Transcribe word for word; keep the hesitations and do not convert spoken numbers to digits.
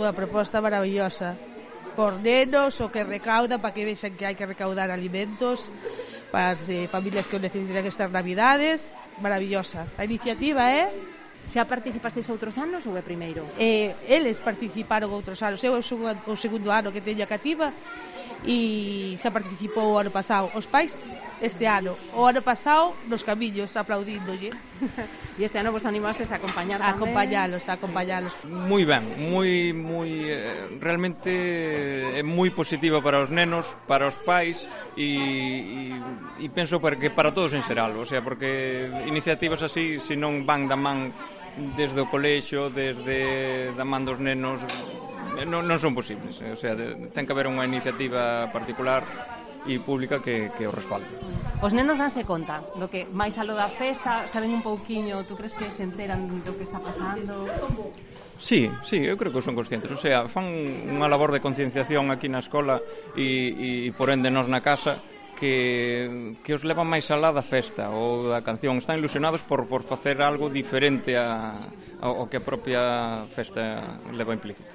Unha proposta maravillosa por nenos, o que recauda para que vexan que hai que recaudar alimentos para as eh, familias que o necesitan estas navidades. Maravillosa a iniciativa, eh? Xa participasteis outros anos ou é primeiro? Eh, eles participaron outros anos. Eu son o segundo ano que teño a cativa e xa participou o ano pasado os pais este ano, o ano pasado nos camiños aplaudíndolle. E este ano vos animastes a acompañar a tamén? acompañalos, a acompañalos. Moi ben, moi moi eh, realmente é moi positiva para os nenos, para os pais e, e, e penso que para todos en xeral, o sea, porque iniciativas así, se non van da man desde o colexio, desde da man dos nenos, non, non son posibles, o sea, ten que haber unha iniciativa particular e pública que, que o respalde. Os nenos danse conta do que máis alo da festa, saben un pouquiño, tú crees que se enteran do que está pasando? Sí, sí, eu creo que son conscientes, o sea, fan unha labor de concienciación aquí na escola e, e por ende nós na casa que, que os levan máis alá da festa ou da canción, están ilusionados por, por facer algo diferente a, ao que a propia festa leva implícito.